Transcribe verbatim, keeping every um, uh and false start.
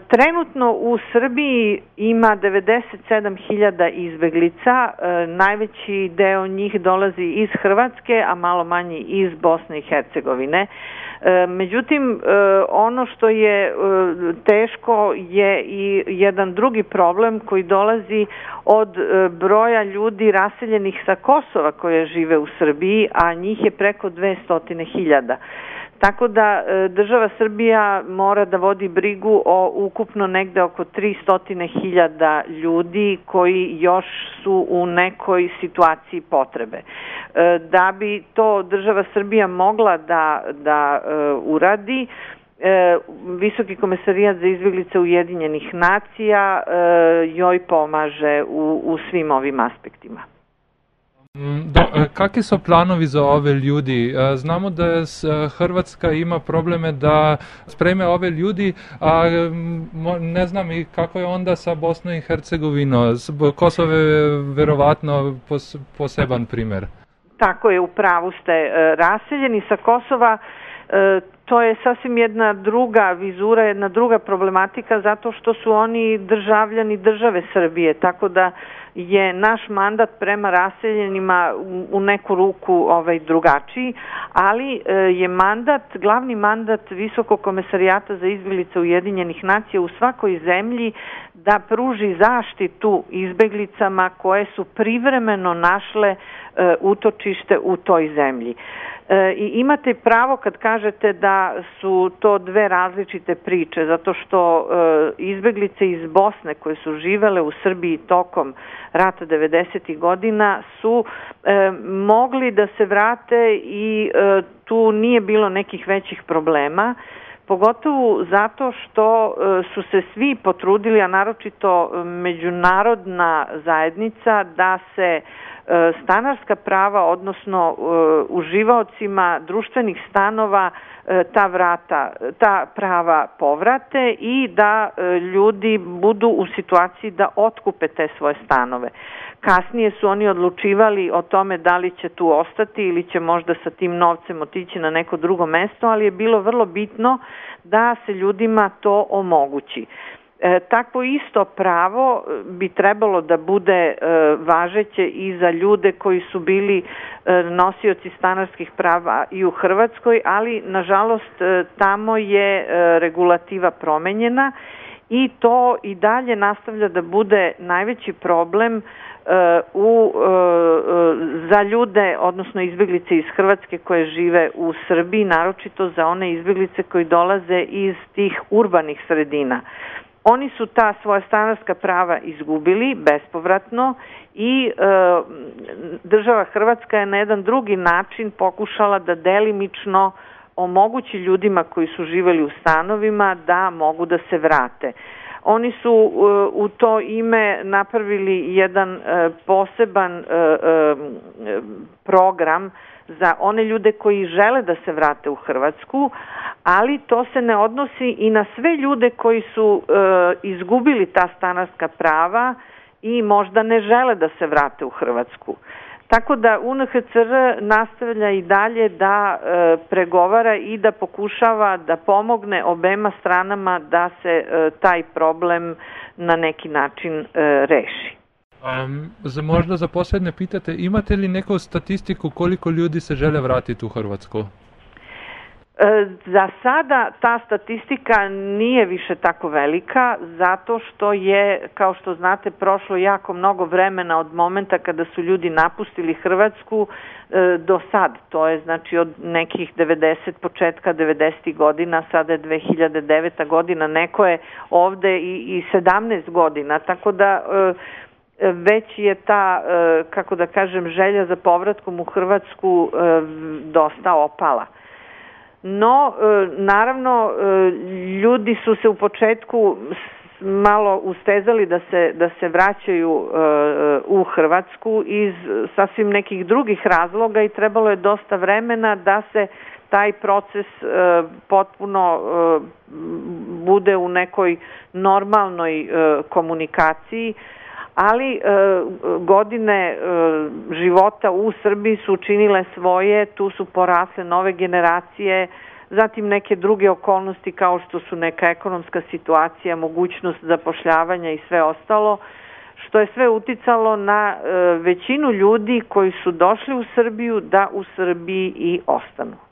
Trenutno u Srbiji ima devedeset sedam hiljada izbeglica, najveći deo njih dolazi iz Hrvatske, a malo manji iz Bosne i Hercegovine. Međutim, ono što je teško je i jedan drugi problem koji dolazi od broja ljudi raseljenih sa Kosova koje žive u Srbiji, a njih je preko dvesta hiljada. Tako da država Srbija mora da vodi brigu o ukupno negde oko tristo hiljada ljudi koji još su u nekoj situaciji potrebe. Da bi to država Srbija mogla da, da uradi, Visoki komesarijat za izbeglice Ujedinjenih nacija joj pomaže u, u svim ovim aspektima. Do, kakvi su planovi za ove ljudi? Znamo da Hrvatska ima probleme da spreme ove ljudi, a ne znam i kako je onda sa Bosnom i Hercegovinom. Kosovo je verovatno poseban primer. Tako je, u pravu ste. Raseljeni sa Kosova, to je sasvim jedna druga vizura, jedna druga problematika, zato što su oni državljani države Srbije, tako da je naš mandat prema raseljenima u neku ruku ovaj, drugačiji, ali je mandat, glavni mandat Visokog komesarijata za izbeglice Ujedinjenih nacija u svakoj zemlji da pruži zaštitu izbeglicama koje su privremeno našle utočište u toj zemlji. I imate pravo kad kažete da su to dve različite priče, zato što izbeglice iz Bosne koje su živele u Srbiji tokom rata devedesetih godina su mogli da se vrate i tu nije bilo nekih većih problema, pogotovo zato što su se svi potrudili, a naročito međunarodna zajednica, da se stanarska prava, odnosno uživaocima društvenih stanova ta vrata, ta prava povrate i da ljudi budu u situaciji da otkupe te svoje stanove. Kasnije su oni odlučivali o tome da li će tu ostati ili će možda sa tim novcem otići na neko drugo mesto, ali je bilo vrlo bitno da se ljudima to omogući. E, takvo isto pravo bi trebalo da bude e, važeće i za ljude koji su bili e, nosioci stanarskih prava i u Hrvatskoj, ali nažalost e, tamo je e, regulativa promenjena i to i dalje nastavlja da bude najveći problem e, u, e, za ljude, odnosno izbeglice iz Hrvatske koje žive u Srbiji, naročito za one izbeglice koji dolaze iz tih urbanih sredina. Oni su ta svoja stanarska prava izgubili bespovratno i e, država Hrvatska je na jedan drugi način pokušala da delimično omogući ljudima koji su živeli u stanovima da mogu da se vrate. Oni su e, u to ime napravili jedan e, poseban e, e, program za one ljude koji žele da se vrate u Hrvatsku, ali to se ne odnosi i na sve ljude koji su e, izgubili ta stanarska prava i možda ne žele da se vrate u Hrvatsku. Tako da U N H C R nastavlja i dalje da e, pregovara i da pokušava da pomogne obema stranama da se e, taj problem na neki način e, reši. Um, za možda za posljedne pitate, imate li neku statistiku koliko ljudi se žele vratiti u Hrvatsku? E, za sada ta statistika nije više tako velika, zato što je, kao što znate, prošlo jako mnogo vremena od momenta kada su ljudi napustili Hrvatsku e, do sad. To je znači od nekih devedeset, početka devedesetih godina, sada je dve hiljade deveta godina, neko je ovde i, i sedamnaest godina, tako da e, već je ta, kako da kažem, želja za povratkom u Hrvatsku dosta opala. No, naravno, ljudi su se u početku malo ustezali da se, da se vraćaju u Hrvatsku iz sasvim nekih drugih razloga i trebalo je dosta vremena da se taj proces potpuno bude u nekoj normalnoj komunikaciji, ali e, godine e, života u Srbiji su učinile svoje, tu su porasle nove generacije, zatim neke druge okolnosti kao što su neka ekonomska situacija, mogućnost zapošljavanja i sve ostalo, što je sve uticalo na većinu ljudi koji su došli u Srbiju da u Srbiji i ostanu.